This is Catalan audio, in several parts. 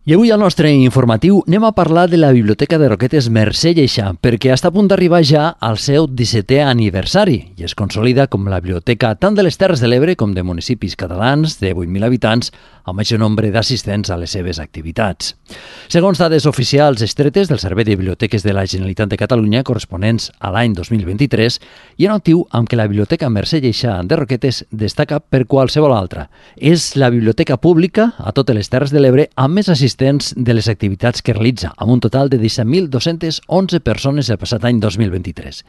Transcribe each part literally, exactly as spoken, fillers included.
I avui al nostre informatiu anem a parlar de la Biblioteca de Roquetes Mercè Lleixà, perquè està a punt d'arribar ja al seu dissetè aniversari i es consolida com la biblioteca tant de les Terres de l'Ebre com de municipis catalans de vuit mil habitants amb major nombre d'assistents a les seves activitats. Segons dades oficials estretes del Servei de Biblioteques de la Generalitat de Catalunya corresponents a l'any dos mil vint-i-tres, hi ha un actiu amb què la Biblioteca Mercè Lleixà de Roquetes destaca per qualsevol altra. És la biblioteca pública a totes les Terres de l'Ebre amb més assistents de les activitats que realitza, amb un total de disset mil dos-cents onze persones el passat any dos mil vint-i-tres.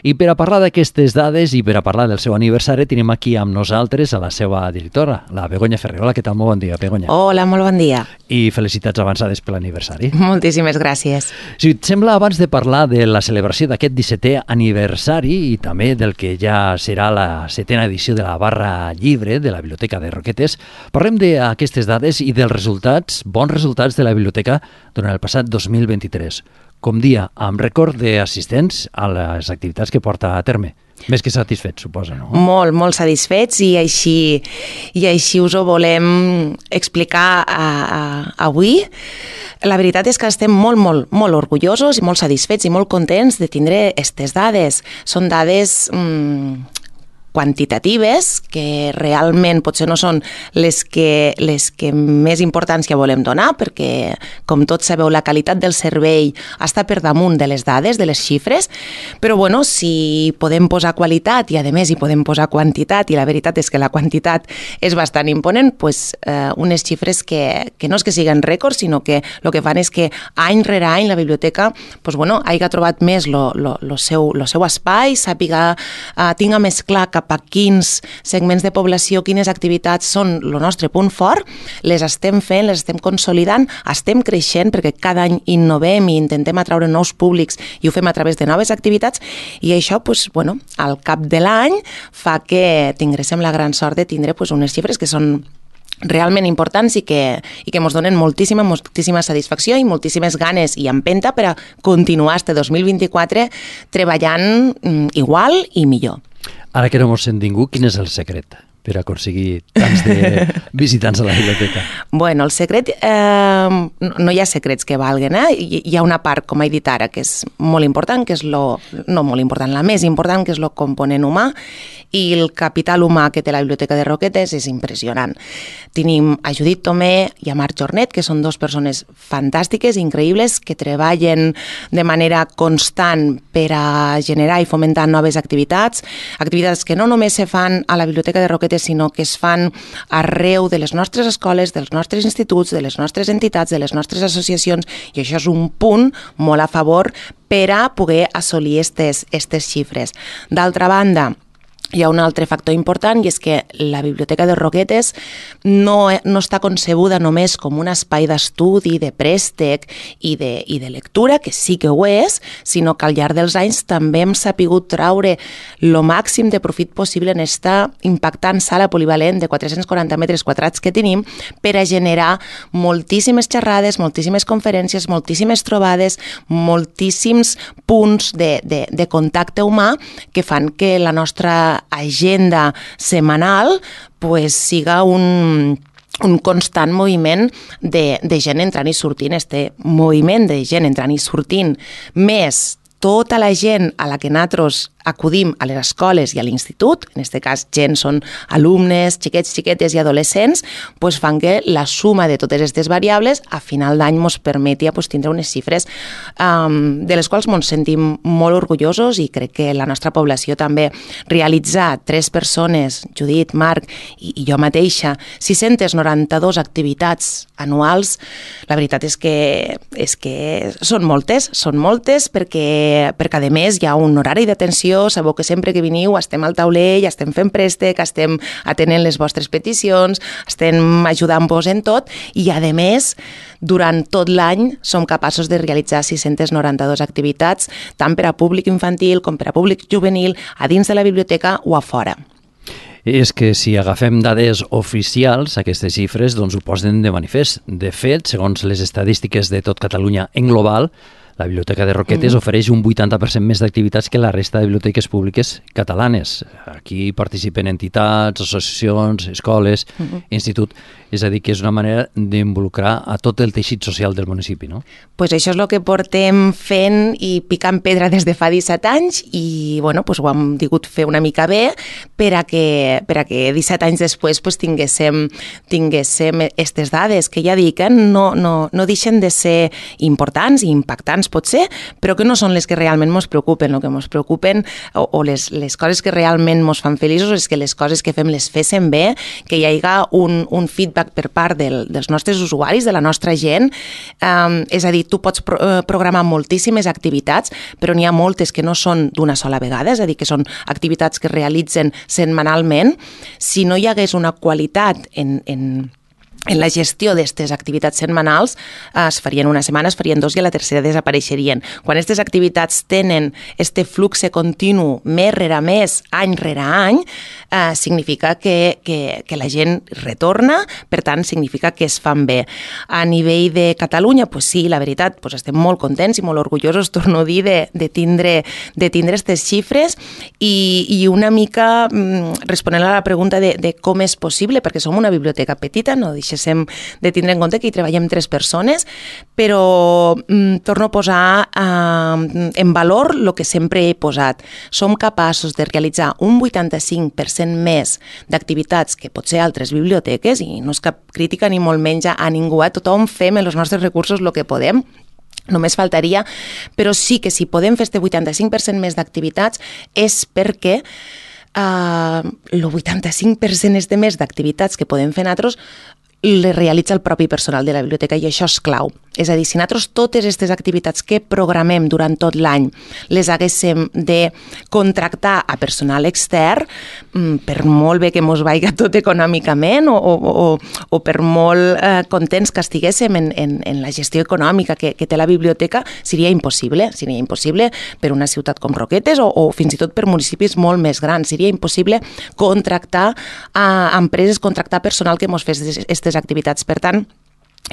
I per a parlar d'aquestes dades i per a parlar del seu aniversari, tenim aquí amb nosaltres a la seva directora, la Begoña Ferrer. Hola, què tal? Molt bon dia, Begoña. Hola, molt bon dia. I felicitats avançades per l'aniversari. Moltíssimes gràcies. Si et sembla, abans de parlar de la celebració d'aquest dissetè aniversari i també del que ja serà la setena edició de la Barra Llibre de la Biblioteca de Roquetes, parlem d'aquestes dades i dels resultats, bons resultats de la biblioteca durant el passat dos mil vint-i-tres. Com dia, amb rècord d'assistents a les activitats que porta a terme. Més que satisfets, suposa, no? Molt, molt satisfets i així, i així us ho volem explicar a, a, avui. La veritat és que estem molt, molt, molt orgullosos i molt satisfets i molt contents de tindre aquestes dades. Són dades mmm, quantitatives, que realment potser no són les que, les que més importància volem donar, perquè, com tots sabeu, la qualitat del servei està per damunt de les dades, de les xifres, però bueno, si podem posar qualitat i a més hi podem posar quantitat, i la veritat és que la quantitat és bastant imponent, pues, eh, unes xifres que, que no és que siguin rècords, sinó que el que fan és que any rere any la biblioteca pues, bueno, hagi trobat més el seu, lo seu espai, sàpiga, eh, tinga més clar cap a quins segments de població, quines activitats són el nostre punt fort, les estem fent, les estem consolidant, estem creixent perquè cada any innovem i intentem atraure nous públics i ho fem a través de noves activitats i això, pues, bueno, al cap de l'any fa que tinguéssim la gran sort de tindre pues, unes xifres que són realment importants i que, i que ens donen moltíssima, moltíssima satisfacció i moltíssimes ganes i empenta per a continuar este dos mil vint-i-quatre treballant mm, igual i millor. Ara que no mos sent ningú, quin és el secret per aconseguir tants de visitants a la biblioteca? Bueno, el secret, eh, no hi ha secrets que valguen, eh? Hi, hi ha una part, com he dit ara, que és molt important, que és lo, no molt important, la més important, que és el component humà, i el capital humà que té la Biblioteca de Roquetes és impressionant. Tenim a Judit Tomé i a Marc Jornet, que són dues persones fantàstiques, increïbles, que treballen de manera constant per a generar i fomentar noves activitats, activitats que no només se fan a la Biblioteca de Roquetes, sinó que es fan arreu de les nostres escoles, dels nostres instituts, de les nostres entitats, de les nostres associacions, i això és un punt molt a favor per a poder assolir aquestes xifres. D'altra banda, hi ha un altre factor important i és que la Biblioteca de Roquetes no, no està concebuda només com un espai d'estudi, de préstec i de, i de lectura, que sí que ho és, sinó que al llarg dels anys també hem sapigut traure el màxim de profit possible en esta impactant sala polivalent de quatre-cents quaranta metres quadrats que tenim per a generar moltíssimes xerrades, moltíssimes conferències, moltíssimes trobades, moltíssims punts de, de, de contacte humà que fan que la nostra agenda setmanal pues, siga un, un constant moviment de, de gent entrant i sortint. Este moviment de gent entrant i sortint, més tota la gent a la que nosaltres acudim a les escoles i a l'institut, en aquest cas gent són alumnes, xiquets, xiquetes i adolescents, pues fan que la suma de totes aquestes variables a final d'any ens permeti pues, tindre unes xifres um, de les quals ens sentim molt orgullosos i crec que la nostra població també realitzar tres persones, Judit, Marc i, i jo mateixa, sis-centes noranta-dues activitats anuals, la veritat és que, és que són moltes, són moltes perquè, perquè a més hi ha un horari d'atenció. Sabeu que sempre que veniu estem al taulell, estem fent préstec, estem atenent les vostres peticions, estem ajudant-vos en tot i, a més, durant tot l'any som capaços de realitzar sis-centes noranta-dues activitats, tant per a públic infantil com per a públic juvenil, a dins de la biblioteca o a fora. És que si agafem dades oficials, aquestes xifres doncs ho posen de manifest. De fet, segons les estadístiques de tot Catalunya en global, la Biblioteca de Roquetes mm-hmm. ofereix un vuitanta per cent més d'activitats que la resta de biblioteques públiques catalanes. Aquí participen entitats, associacions, escoles, mm-hmm. institut. És a dir, que és una manera d'involucrar a tot el teixit social del municipi, no? Pues això és el que portem fent i picant pedra des de fa disset anys i bueno, pues ho hem digut fer una mica bé per a que, per a que disset anys després pues, tinguéssim, tinguéssim aquestes dades que ja dic, eh? no, no, no deixen de ser importants i impactants potser, però que no són les que realment ens preocupen. El que ens preocupen o, o les, les coses que realment ens fan feliços és que les coses que fem les féssim bé, que hi hagi un, un feedback per part del, dels nostres usuaris, de la nostra gent. Um, és a dir, tu pots pro, uh, programar moltíssimes activitats, però n'hi ha moltes que no són d'una sola vegada, és a dir, que són activitats que es realitzen setmanalment. Si no hi hagués una qualitat en, en en la gestió d'aquestes activitats setmanals es farien una setmana, es farien dos i a la tercera desapareixerien. Quan aquestes activitats tenen este flux continu mes rere mes, any rere any, eh, significa que, que, que la gent retorna, per tant, significa que es fan bé. A nivell de Catalunya, pues sí, la veritat, pues estem molt contents i molt orgullosos, torno a dir, de, de tindre de tindre aquestes xifres i, i una mica mm, responent a la pregunta de, de com és possible, perquè som una biblioteca petita, no deixem de tindre en compte que hi treballem tres persones, però mm, torno a posar eh, en valor el que sempre he posat. Som capaços de realitzar un vuitanta-cinc per cent més d'activitats que potser altres biblioteques, i no és cap crítica ni molt menys a ningú, eh? Tothom fem en els nostres recursos el que podem, només faltaria, però sí que si podem fer este vuitanta-cinc per cent més d'activitats és perquè uh, el vuitanta-cinc per cent este més d'activitats que podem fer nosaltres les realitza el propi personal de la biblioteca i això és clau. És a dir, si nosaltres totes aquestes activitats que programem durant tot l'any les haguéssim de contractar a personal extern, per molt bé que mos vaiga tot econòmicament o, o, o per molt eh, contents que estiguéssim en, en, en la gestió econòmica que, que té la biblioteca, seria impossible. Seria impossible per una ciutat com Roquetes o, o fins i tot per municipis molt més grans. Seria impossible contractar a empreses, contractar personal que mos fes aquestes activitats. Per tant,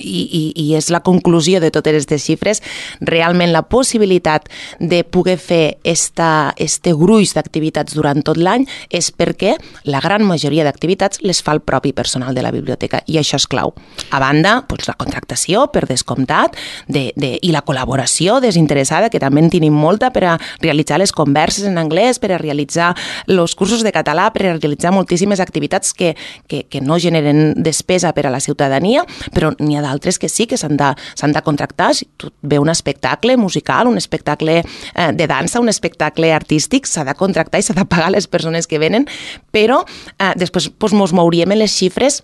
I, i, i és la conclusió de totes aquestes xifres, realment la possibilitat de poder fer esta, este gruix d'activitats durant tot l'any és perquè la gran majoria d'activitats les fa el propi personal de la biblioteca i això és clau. A banda, doncs, la contractació, per descomptat, de, de, i la col·laboració desinteressada, que també en tenim molta per a realitzar les converses en anglès, per a realitzar els cursos de català, per a realitzar moltíssimes activitats que, que, que no generen despesa per a la ciutadania, però n'hi ha d'altres que sí que s'han de, s'han de contractar. Si tu ve un espectacle musical, un espectacle eh, de dansa, un espectacle artístic, s'ha de contractar i s'ha de pagar les persones que venen, però eh, després doncs, mos mouríem en les xifres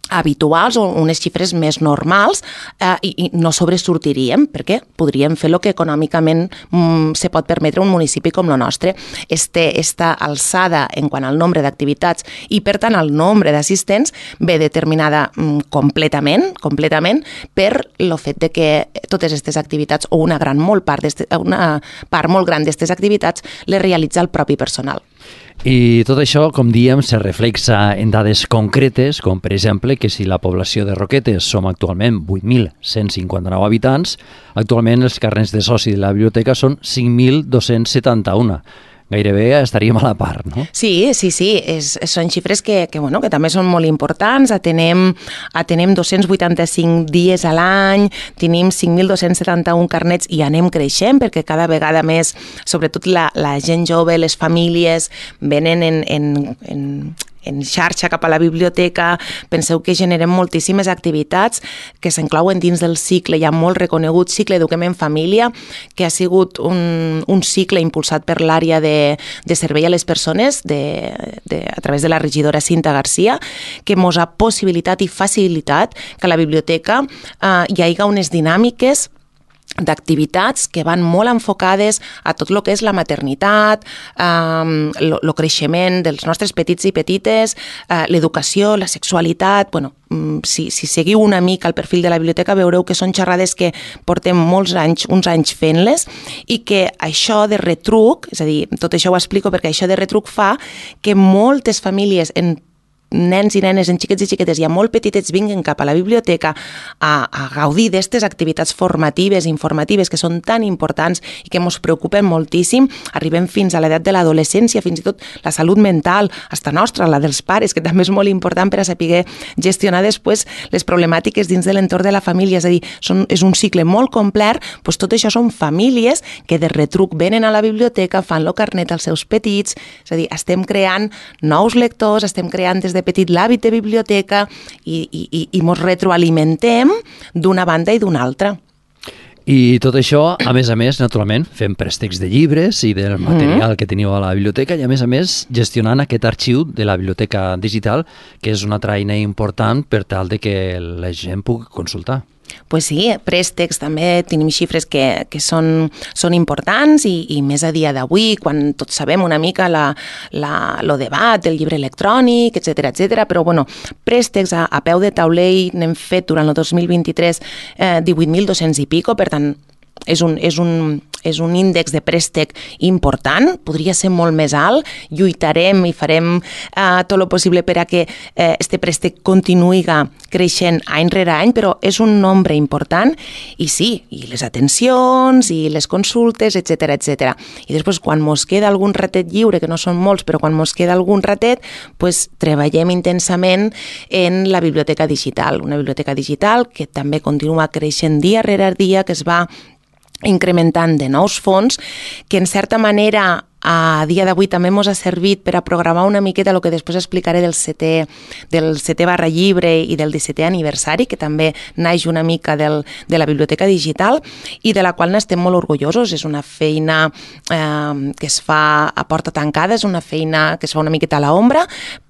habituals o unes xifres més normals eh, i, i no sobresortiríem perquè podríem fer el que econòmicament mm, se pot permetre un municipi com el nostre. Este, esta alçada en quant al nombre d'activitats i per tant al nombre d'assistents ve determinada mm, completament, completament per el fet de que totes aquestes activitats o una gran molt part una part molt gran d'aquestes activitats les realitza el propi personal. I tot això, com diem, se reflexa en dades concretes, com per exemple que si la població de Roquetes som actualment vuit mil cent cinquanta-nou habitants, actualment els carnets de soci de la biblioteca són cinc mil dos-cents setanta-un. Gairebé estaríem a la part, no? Sí, sí, sí, és, són xifres que, que, bueno, que també són molt importants. Atenem, atenem dos-cents vuitanta-cinc dies a l'any, tenim cinc mil dos-cents setanta-un carnets i anem creixent perquè cada vegada més, sobretot la, la gent jove, les famílies, venen en, en, en en xarxa cap a la biblioteca. Penseu que generem moltíssimes activitats que s'enclouen dins del cicle, ja molt reconegut cicle Eduquem en Família, que ha sigut un, un cicle impulsat per l'àrea de, de servei a les persones de, de, a través de la regidora Cinta Garcia, que mos ha possibilitat i facilitat que a la biblioteca eh, hi hagi unes dinàmiques d'activitats que van molt enfocades a tot el que és la maternitat, el eh, creixement dels nostres petits i petites, eh, l'educació, la sexualitat. Bueno, si, si seguiu una mica el perfil de la biblioteca veureu que són xerrades que portem molts anys, uns anys fent-les i que això de retruc, és a dir, tot això ho explico perquè això de retruc fa que moltes famílies en nens i nenes, en xiquets i xiquetes ja molt petitets vinguen cap a la biblioteca a, a gaudir d'aquestes activitats formatives, informatives, que són tan importants i que ens preocupen moltíssim. Arribem fins a l'edat de l'adolescència, fins i tot la salut mental, hasta nostra, la dels pares, que també és molt important per a saber gestionar després les problemàtiques dins de l'entorn de la família. És a dir, són, és un cicle molt complet, doncs tot això són famílies que de retruc venen a la biblioteca, fan lo carnet als seus petits, és a dir, estem creant nous lectors, estem creant des de petit l'hàbit de biblioteca i, i, i mos retroalimentem d'una banda i d'una altra. I tot això, a més a més, naturalment, fem préstecs de llibres i del material mm. que teniu a la biblioteca i, a més a més, gestionant aquest arxiu de la biblioteca digital, que és una altra eina important per tal de que la gent pugui consultar. Pues sí, préstecs també tenim xifres que, que són, són importants i, i més a dia d'avui, quan tots sabem una mica la, la, lo debat del llibre electrònic, etcètera, etcètera, però bueno, préstecs a, a peu de taulell n'hem fet durant el dos mil vint-i-tres eh, divuit mil dos-cents i pico, per tant, és un, és un, és un índex de préstec important, podria ser molt més alt, lluitarem i farem eh, tot el possible per a que eh, este préstec continuï creixent any rere any, però és un nombre important i sí, i les atencions i les consultes, etcètera, etcètera. I després, quan mos queda algun ratet lliure, que no són molts, però quan mos queda algun ratet, pues, treballem intensament en la biblioteca digital, una biblioteca digital que també continua creixent dia rere dia, que es va incrementant de nous fons, que en certa manera a dia d'avui també ens ha servit per a programar una miqueta el que després explicaré del setè, del setè barra llibre i del dissetè aniversari, que també naix una mica del, de la biblioteca digital i de la qual n'estem molt orgullosos. És una feina eh, que es fa a porta tancada, és una feina que es fa una miqueta a l'ombra,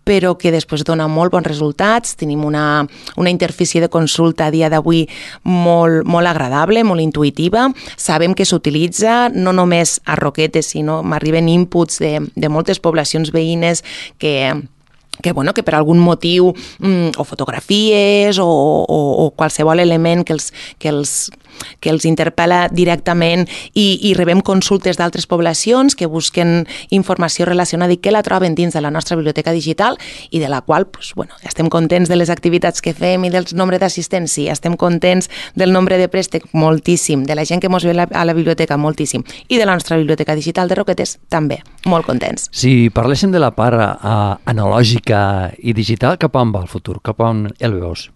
però que després dona molt bons resultats. Tenim una, una interfície de consulta a dia d'avui molt, molt agradable, molt intuïtiva. Sabem que s'utilitza no només a Roquetes, sinó m'arriben inputs de, de moltes poblacions veïnes que... que, bueno, que per algun motiu, mm, o fotografies o, o, o qualsevol element que els, que els, que els interpel·la directament i, i rebem consultes d'altres poblacions que busquen informació relacionada i que la troben dins de la nostra biblioteca digital i de la qual pues, bueno, estem contents de les activitats que fem i del nombre d'assistents, sí, estem contents del nombre de préstec, moltíssim, de la gent que ens ve a la biblioteca, moltíssim, i de la nostra biblioteca digital de Roquetes, també, molt contents. Si parléssim de la part uh, analògica i digital, cap on va el futur? Cap on el veus?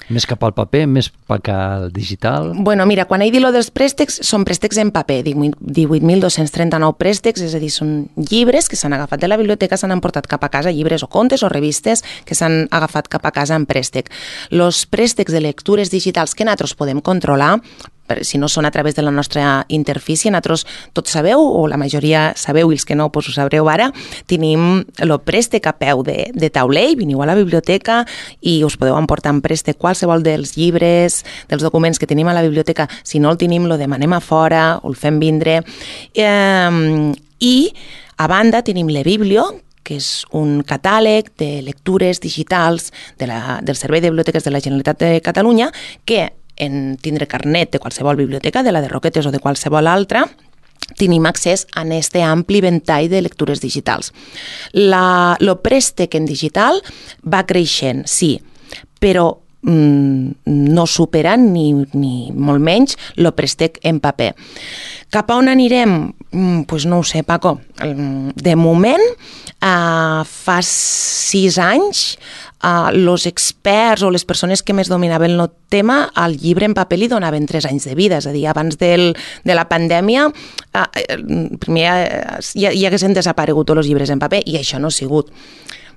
Més cap al paper, més cap al digital? Bueno, mira, quan he dit lo dels préstecs, són préstecs en paper, divuit mil dos-cents trenta-nou préstecs, és a dir, són llibres que s'han agafat de la biblioteca, s'han emportat cap a casa, llibres o contes o revistes que s'han agafat cap a casa en préstec. Los préstecs de lectures digitals que nosaltres podem controlar, si no són a través de la nostra interfície, nosaltres tots sabeu, o la majoria sabeu, i els que no, doncs ho sabreu ara, tenim el préstec a peu de, de taulell, veniu a la biblioteca i us podeu emportar en préstec qualsevol dels llibres, dels documents que tenim a la biblioteca. Si no el tenim, lo demanem a fora, o el fem vindre. Eh, I, a banda, tenim l'eBiblio, que és un catàleg de lectures digitals de la, del Servei de Biblioteques de la Generalitat de Catalunya, que en tindre carnet de qualsevol biblioteca, de la de Roquetes o de qualsevol altra, tenim accés a aquest ampli ventall de lectures digitals. La, lo préstec en digital va creixent, sí, però mm, no supera ni, ni molt menys lo préstec en paper. Cap a on anirem? Mm, pues no ho sé, Paco. De moment, uh, fa sis anys, Uh, los experts o les persones que més dominaven el tema, al llibre en paper li donaven tres anys de vida, és a dir, abans del, de la pandèmia uh, primer uh, ja, ja haguessin desaparegut tots els llibres en paper i això no ha sigut.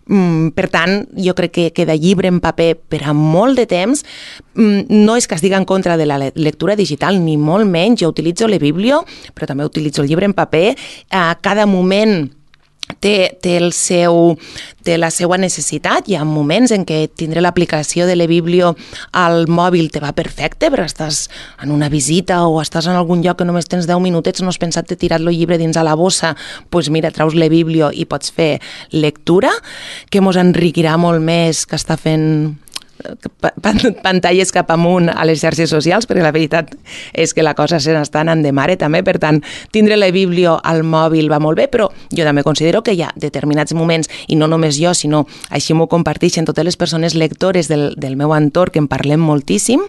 Mm, per tant, jo crec que, que de llibre en paper per a molt de temps mm, no és que estigui en contra de la lectura digital, ni molt menys. Jo utilitzo l'eBiblio, però també utilitzo el llibre en paper. A cada moment Té, té, el seu, té la seva necessitat. Hi ha moments en què tindre l'aplicació de l'eBiblio al mòbil te va perfecte, però estàs en una visita o estàs en algun lloc que només tens deu minutets, no has pensat de tirar el llibre dins a la bossa, doncs pues mira, traus l'eBiblio i pots fer lectura, que mos enriquirà molt més que està fent pantalles cap amunt a les xarxes socials, perquè la veritat és que la cosa se n'està anant de mare també, per tant, tindre la Bíblia al mòbil va molt bé, però jo també considero que hi ha determinats moments, i no només jo, sinó així m'ho comparteixen totes les persones lectores del, del meu entorn, que en parlem moltíssim,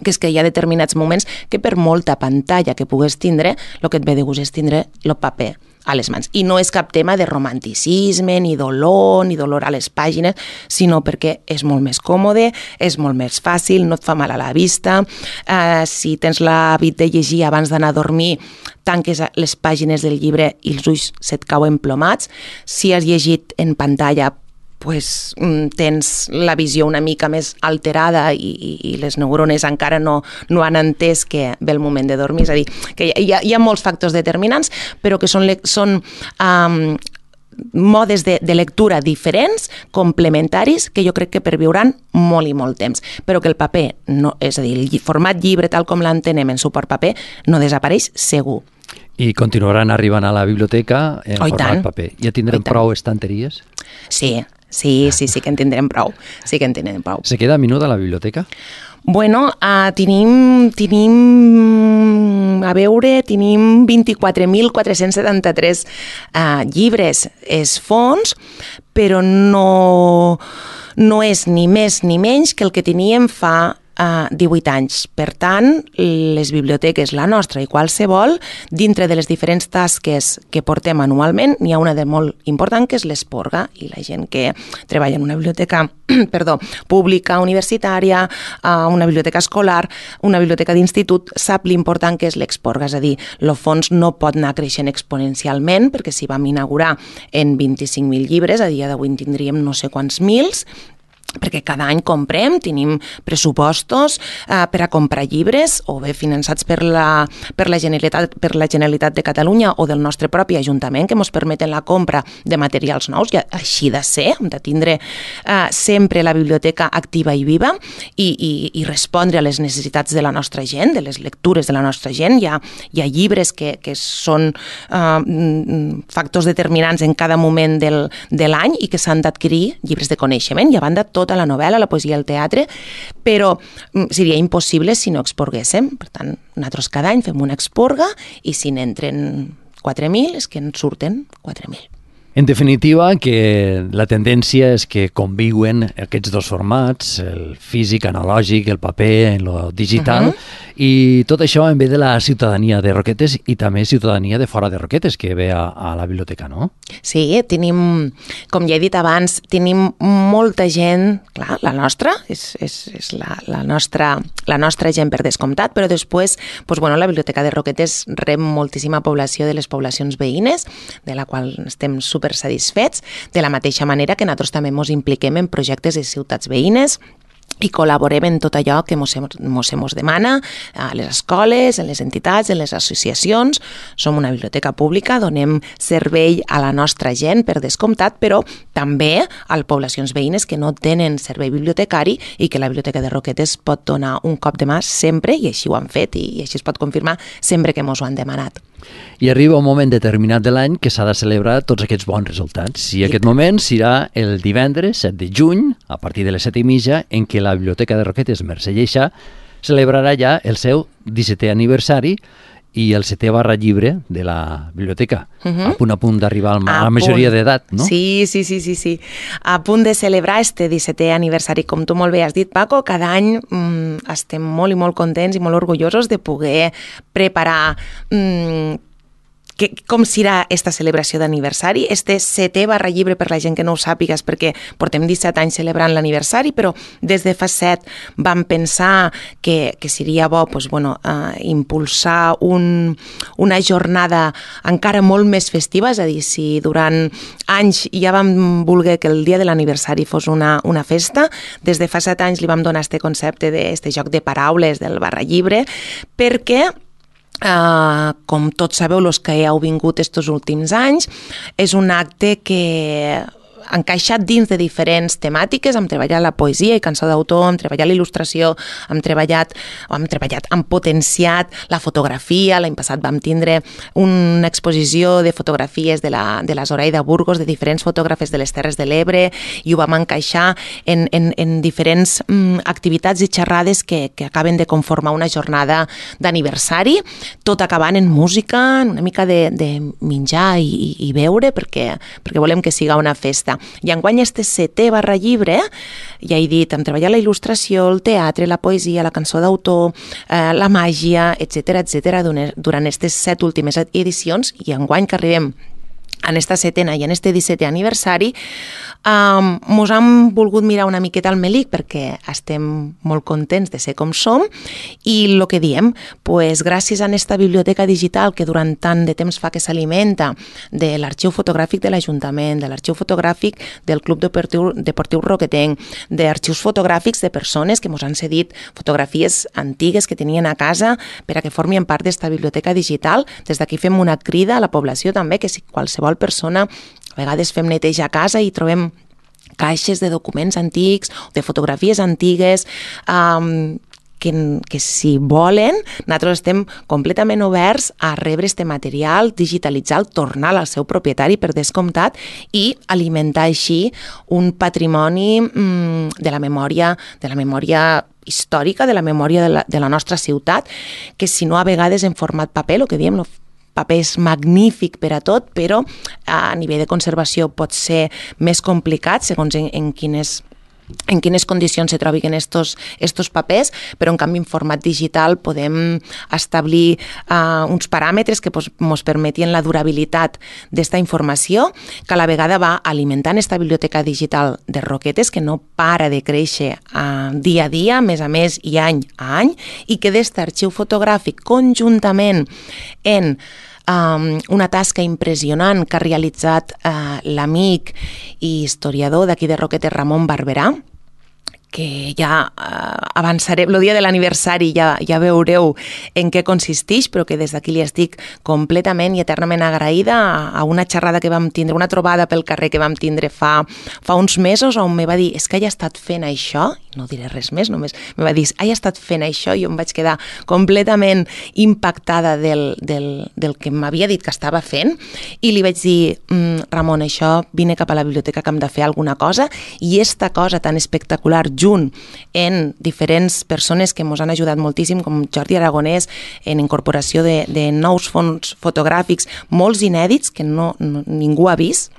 que és que hi ha determinats moments que per molta pantalla que pugues tindre, el que et ve de gust és tindre el paper a les mans. I no és cap tema de romanticisme, ni dolor, ni dolor a les pàgines, sinó perquè és molt més còmode, és molt més fàcil, no et fa mal a la vista. Uh, si tens l'hàbit de llegir abans d'anar a dormir, tanques les pàgines del llibre i els ulls se't cauen plomats. Si has llegit en pantalla, pues, tens la visió una mica més alterada i, i, i les neurones encara no, no han entès que ve el moment de dormir. És a dir, que hi ha, hi ha molts factors determinants, però que són, són um, modes de, de lectura diferents, complementaris, que jo crec que perviuran molt i molt temps. Però que el paper, no, és a dir, el format llibre tal com l'entenem en suport paper, no desapareix segur. I continuaran arribant a la biblioteca en oh, format tant. paper. Ja tindrem oh, prou estanteries? Sí, sí, sí, sí que en tindrem prou. Sí que en tindrem prou. Se queda minuda la biblioteca? Bueno, uh, tenim, tenim, a veure, tenim vint-i-quatre mil quatre-cents setanta-tres uh, llibres. És fons, però no, no és ni més ni menys que el que teníem fa Uh, divuit anys. Per tant, les biblioteques, la nostra i qualsevol, dintre de les diferents tasques que portem anualment, n'hi ha una de molt important, que és l'esporga, i la gent que treballa en una biblioteca perdó, pública, universitària, uh, una biblioteca escolar, una biblioteca d'institut, sap l'important que és l'exporga, és a dir, el fons no pot anar creixent exponencialment, perquè si vam inaugurar en vint-i-cinc mil llibres, a dia d'avui en tindríem no sé quants mils, perquè cada any comprem, tenim pressupostos eh, per a comprar llibres, o bé finançats per la, per, la Generalitat, per la Generalitat de Catalunya o del nostre propi Ajuntament, que ens permeten la compra de materials nous, i així de ser, hem de tindre eh, sempre la biblioteca activa i viva i, i, i respondre a les necessitats de la nostra gent, de les lectures de la nostra gent. Hi ha, hi ha llibres que, que són eh, factors determinants en cada moment del, de l'any i que s'han d'adquirir, llibres de coneixement, i a banda tot tota la novel·la, la poesia i el teatre, però seria impossible si no exporguéssim. Per tant, nosaltres cada any fem una exporga i si n'entren quatre mil és que en surten quatre mil. En definitiva, que la tendència és que conviuen aquests dos formats, el físic, analògic, el paper, el digital, uh-huh. i tot això en ve de la ciutadania de Roquetes i també ciutadania de fora de Roquetes, que ve a, a la biblioteca, no? Sí, tenim, com ja he dit abans, tenim molta gent, clar, la nostra, és, és, és la, la, nostra, la nostra gent per descomptat, però després, doncs, bueno, la biblioteca de Roquetes rep moltíssima població de les poblacions veïnes, de la qual estem super satisfets, de la mateixa manera que nosaltres també ens impliquem en projectes de ciutats veïnes i col·laborem en tot allò que mos, mos, mos demana a les escoles, en les entitats, en les associacions. Som una biblioteca pública, donem servei a la nostra gent per descomptat, però també a les poblacions veïnes que no tenen servei bibliotecari i que la Biblioteca de Roquetes pot donar un cop de mà sempre, i així ho han fet i així es pot confirmar sempre que mos ho han demanat. I arriba un moment determinat de l'any que s'ha de celebrar tots aquests bons resultats. I aquest moment serà el divendres set de juny, a partir de les set i mitja, en què la Biblioteca de Roquetes Mercè Lleixà celebrarà ja el seu dissetè aniversari i el setè barra llibre de la biblioteca, uh-huh. a punt a punt d'arribar a la majoria d'edat, no? Sí, sí, sí, sí, sí. A punt de celebrar este dissetè aniversari. Com tu molt bé has dit, Paco, cada any mmm, estem molt i molt contents i molt orgullosos de poder preparar mmm, que, com serà esta celebració d'aniversari. Este setè barra llibre, per la gent que no ho sàpigues, perquè portem disset anys celebrant l'aniversari, però des de fa set vam pensar que, que seria bo pues, bueno, uh, impulsar un, una jornada encara molt més festiva, és a dir, si durant anys ja vam voler que el dia de l'aniversari fos una, una festa, des de fa set anys li vam donar este concepte d'este joc de paraules del barra llibre, perquè Uh, com tots sabeu, els que heu vingut estos últims anys, és un acte que encaixat dins de diferents temàtiques. Hem treballat la poesia i cançó d'autor, hem treballat la il·lustració, hem treballat, hem treballat, hem potenciat la fotografia. L'any passat vam tindre una exposició de fotografies de la, de la Zoraida Burgos, de diferents fotògrafes de les Terres de l'Ebre, i ho vam encaixar en, en, en diferents mm, activitats i xerrades que, que acaben de conformar una jornada d'aniversari, tot acabant en música, en una mica de, de menjar i, i, i beure, perquè, perquè volem que siga una festa. I enguany este setè barra llibre, ja he dit, hem treballat la il·lustració, el teatre, la poesia, la cançó d'autor, eh, la màgia, etcètera, etcètera, durant aquestes set últimes edicions, i enguany que arribem en esta setena i en este dissetè aniversari, um, mos hem volgut mirar una miqueta al melic perquè estem molt contents de ser com som, i el que diem, pues, gràcies a esta biblioteca digital que durant tant de temps fa que s'alimenta de l'arxiu fotogràfic de l'Ajuntament, de l'arxiu fotogràfic del Club Deportiu, Deportiu Roquetenc, d'arxius fotogràfics de persones que mos han cedit fotografies antigues que tenien a casa per a que formin part d'esta biblioteca digital. Des d'aquí fem una crida a la població també, que si qualsevol persona, a vegades fem neteja a casa i trobem caixes de documents antics, de fotografies antigues, um, que, que si volen, nosaltres estem completament oberts a rebre este material, digitalitzar-lo, tornar al seu propietari per descomptat i alimentar així un patrimoni um, de la memòria, de la memòria històrica, de la memòria de la, de la nostra ciutat, que si no a vegades en format paper, el que diem, el paper és magnífic per a tot, però a nivell de conservació pot ser més complicat segons en, en quines en quines condicions se trobin estos, estos papers, però en canvi en format digital podem establir uh, uns paràmetres que ens permetien la durabilitat d'esta informació, que a la vegada va alimentant esta biblioteca digital de Roquetes, que no para de créixer uh, dia a dia, mes a mes i any a any, i que d'este arxiu fotogràfic conjuntament en Um, una tasca impressionant que ha realitzat uh, l'amic i historiador d'aquí de Roquetes, Ramon Barberà, que ja uh, avançaré, el dia de l'aniversari ja, ja veureu en què consisteix, però que des d'aquí li estic completament i eternament agraïda a, a una xerrada que vam tindre, una trobada pel carrer que vam tindre fa, fa uns mesos, on me va dir, és que he estat fent això, no diré res més, només me va dir, he estat fent això, i jo em vaig quedar completament impactada del, del, del que m'havia dit que estava fent, i li vaig dir, mm, Ramon, això, vine cap a la biblioteca que hem de fer alguna cosa, i esta cosa tan espectacular, junt en diferents persones que ens han ajudat moltíssim, com Jordi Aragonès, en incorporació de, de nous fons fotogràfics, molts inèdits que no, no, ningú ha vist,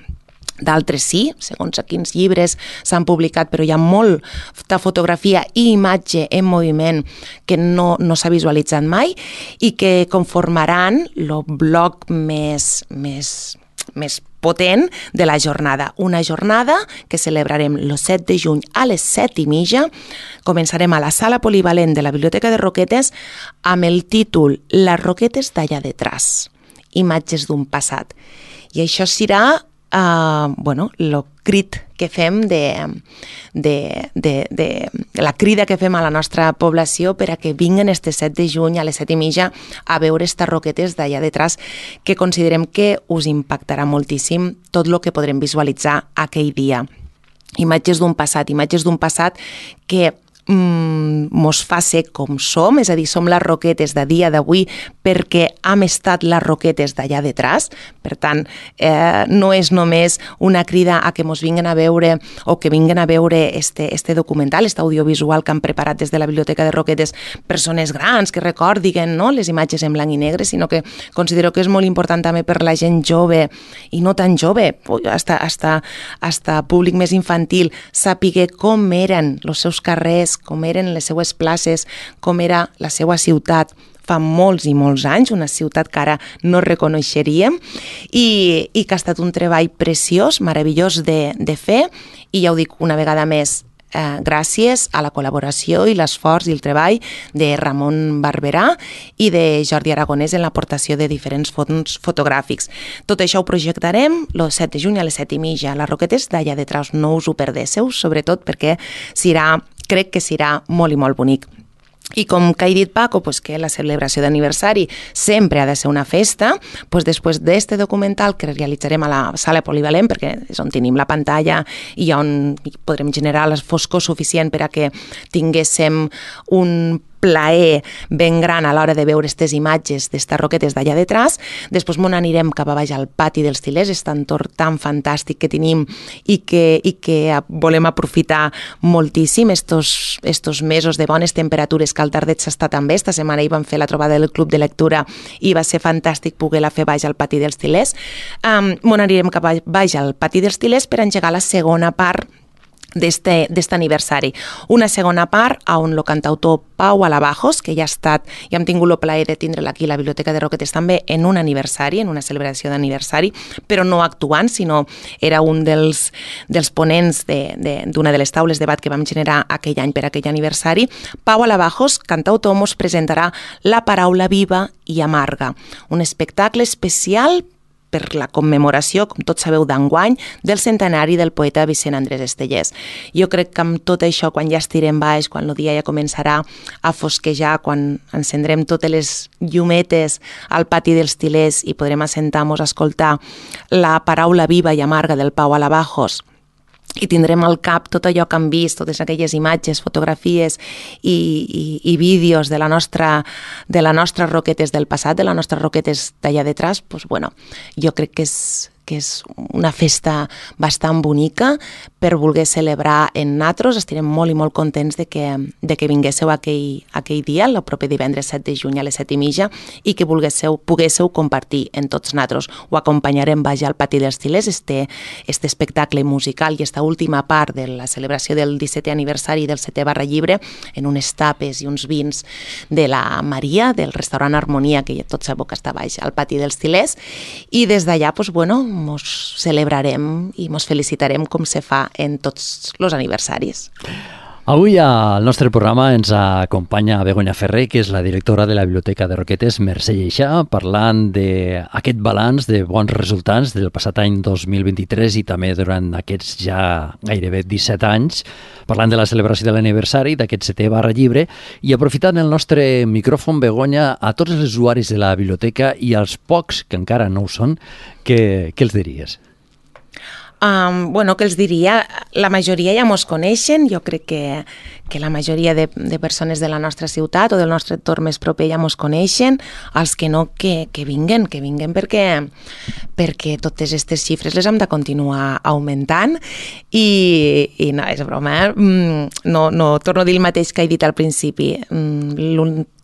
d'altres sí, segons a quins llibres s'han publicat, però hi ha molta fotografia i imatge en moviment que no, no s'ha visualitzat mai i que conformaran el bloc més, més, més potent de la jornada. Una jornada que celebrarem el set de juny a les set i mitja. Començarem a la sala polivalent de la Biblioteca de Roquetes amb el títol Les Roquetes d'allà detrás, imatges d'un passat. I això serà Uh, bueno, el crit que fem de, de, de, de la crida que fem a la nostra població per a que vinguen este set de juny a les set i mitja a veure estas Roquetes d'allà detrás, que considerem que us impactarà moltíssim tot el que podrem visualitzar aquell dia. Imatges d'un passat, imatges d'un passat que mm, mos fa ser com som, és a dir, som les Roquetes de dia d'avui perquè hem estat les Roquetes d'allà detrás. Per tant, eh, no és només una crida a que mos vinguen a veure o que vinguen a veure este, este documental, este audiovisual que han preparat des de la Biblioteca de Roquetes persones grans que recordin, no?, les imatges en blanc i negre, sinó que considero que és molt important també per la gent jove i no tan jove, hasta, hasta, hasta públic més infantil, sàpiga com eren els seus carrers, com eren les seues places, com era la seva ciutat fa molts i molts anys, una ciutat que ara no reconeixeríem, i, i que ha estat un treball preciós, meravellós de, de fer, i ja ho dic una vegada més, eh, gràcies a la col·laboració i l'esforç i el treball de Ramon Barberà i de Jordi Aragonès en l'aportació de diferents fons fotogràfics. Tot això ho projectarem el set de juny a les set i mitja a les Roquetes d'allà detrás. No us ho perdéssiu, sobretot perquè serà, crec que serà molt i molt bonic. I com que ha dit Paco, pues que la celebració d'aniversari sempre ha de ser una festa, pues després d'este documental que realitzarem a la sala polivalent, perquè és on tenim la pantalla i on podrem generar la foscor suficient per a que tinguéssim un plaer ben gran a l'hora de veure aquestes imatges d'estes roquetes d'allà detrás. Després m'on anirem cap a baix al pati dels Til·lers, aquest entorn tan fantàstic que tenim i que, i que volem aprofitar moltíssim estos, estos mesos de bones temperatures, que al tardet s'està també. Esta setmana hi vam fer la trobada del Club de Lectura i va ser fantàstic poder-la fer baix al pati dels Til·lers. Um, m'on anirem cap a baix al pati dels Til·lers per engegar la segona part d'este aniversari. Una segona part on el cantautor Pau Alabajos, que ja ha estat, ja hem tingut el plaer de tindre'l aquí a la Biblioteca de Roquetes també en un aniversari, en una celebració d'aniversari, però no actuant, sinó era un dels, dels ponents d'una de, de, de les taules de debat que vam generar aquell any per aquell aniversari. Pau Alabajos, cantautor, mos presentarà La paraula viva i amarga, un espectacle especial per la commemoració, com tots sabeu, d'enguany, del centenari del poeta Vicent Andrés Estellés. Jo crec que amb tot això, quan ja estirem baix, quan el dia ja començarà a fosquejar, quan encendrem totes les llumetes al pati dels Til·lers i podrem assentar-nos a escoltar la paraula viva i amarga del Pau Alabajos, i tindrem al cap tot allò que hem vist, totes aquelles imatges, fotografies i, i, i vídeos de la nostra, de la nostra roquetes del passat, de les nostres roquetes d'allà detrás, pues bueno, jo crec que és, que és una festa bastant bonica per voler celebrar en natros. Estarem molt i molt contents de que, de que vinguéssiu aquell, aquell dia, el proper divendres set de juny a les set i mitja, i que volguéssiu, poguéssiu compartir en tots natros. Ho acompanyarem baix al pati dels Til·lers, este, este espectacle musical i esta última part de la celebració del dissetè aniversari del setè Barra Llibre, en unes tapes i uns vins de la Maria, del restaurant Harmonia, que tots sabeu que està baix al pati dels Til·lers, i des d'allà, pues, bueno, mos celebrarem i mos felicitarem com se fa en tots els aniversaris. Avui al nostre programa ens acompanya Begoña Ferrer, que és la directora de la Biblioteca de Roquetes, Mercè Lleixà, parlant d'aquest balanç de bons resultats del passat any dos mil vint-i-tres i també durant aquests ja gairebé disset anys, parlant de la celebració de l'aniversari d'aquest setè Barra Llibre, i aprofitant el nostre micròfon, Begoña, a tots els usuaris de la biblioteca i als pocs que encara no ho són, què, què els diries? Um, bueno, que els diria, la majoria ja mos coneixen, jo crec que, que la majoria de, de persones de la nostra ciutat o del nostre entorn més proper ja mos coneixen, els que no, que, que vinguen, que vinguen perquè, perquè totes aquestes xifres les hem de continuar augmentant i, i no, és broma, eh? no, no torno a dir el mateix que he dit al principi.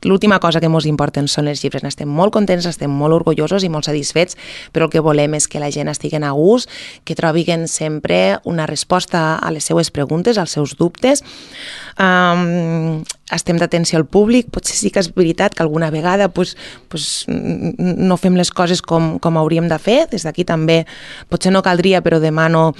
L'última cosa que ens importen són les xifres. Estem molt contents, estem molt orgullosos i molt satisfets, però el que volem és que la gent estigui a gust, que trobin sempre una resposta a les seues preguntes, als seus dubtes. Um, estem d'atenció al públic, potser sí que és veritat que alguna vegada pues, pues, no fem les coses com, com hauríem de fer. Des d'aquí també, potser no caldria, però demano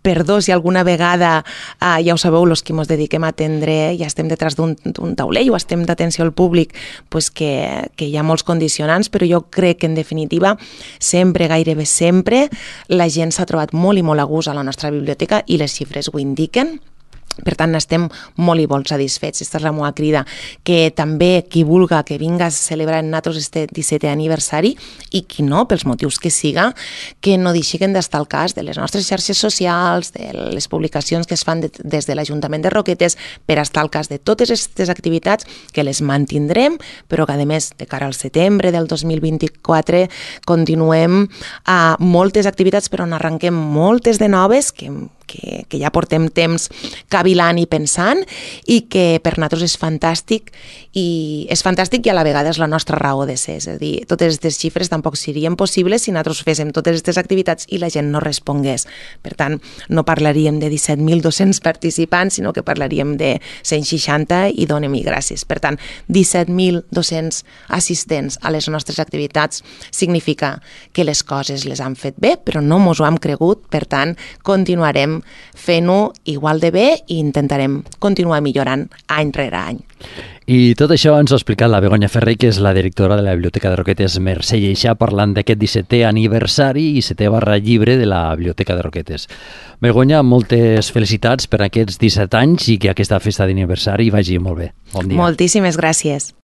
perdó si alguna vegada, eh, ja ho sabeu, els que ens dediquem a atendre, ja estem detrás d'un taulell o estem d'atenció al públic, pues que, que hi ha molts condicionants, però jo crec que en definitiva sempre, gairebé sempre, la gent s'ha trobat molt i molt a gust a la nostra biblioteca i les xifres ho indiquen. Per tant, estem molt i molt satisfets. Aquesta és la meva crida, que també qui vulga que vinga a celebrar en nosaltres este dissetè aniversari i qui no, pels motius que siga, que no deixin d'estar al cas de les nostres xarxes socials, de les publicacions que es fan de, des de l'Ajuntament de Roquetes, per estar al cas de totes aquestes activitats que les mantindrem, però que a més, de cara al setembre del dos mil vint-i-quatre, continuem a moltes activitats, però n'arrenquem moltes de noves que Que, que ja portem temps cavilant i pensant i que per nosaltres és fantàstic i és fantàstic i a la vegada és la nostra raó de ser. És a dir, totes aquestes xifres tampoc serien possibles si nosaltres féssim totes aquestes activitats i la gent no respongués. Per tant, no parlaríem de disset mil dos-cents participants, sinó que parlaríem de cent seixanta i donem-hi gràcies. Per tant, disset mil dos-cents assistents a les nostres activitats significa que les coses les han fet bé, però no mos ho hem cregut, per tant, continuarem fent-ho igual de bé i intentarem continuar millorant any rere any. I tot això ens ho ha explicat la Begoña Ferrer, que és la directora de la Biblioteca de Roquetes Mercè Lleixà, parlant d'aquest dissetè aniversari i setè barra llibre de la Biblioteca de Roquetes. Begoña, moltes felicitats per aquests disset anys i que aquesta festa d'aniversari vagi molt bé. Bon dia. Moltíssimes gràcies.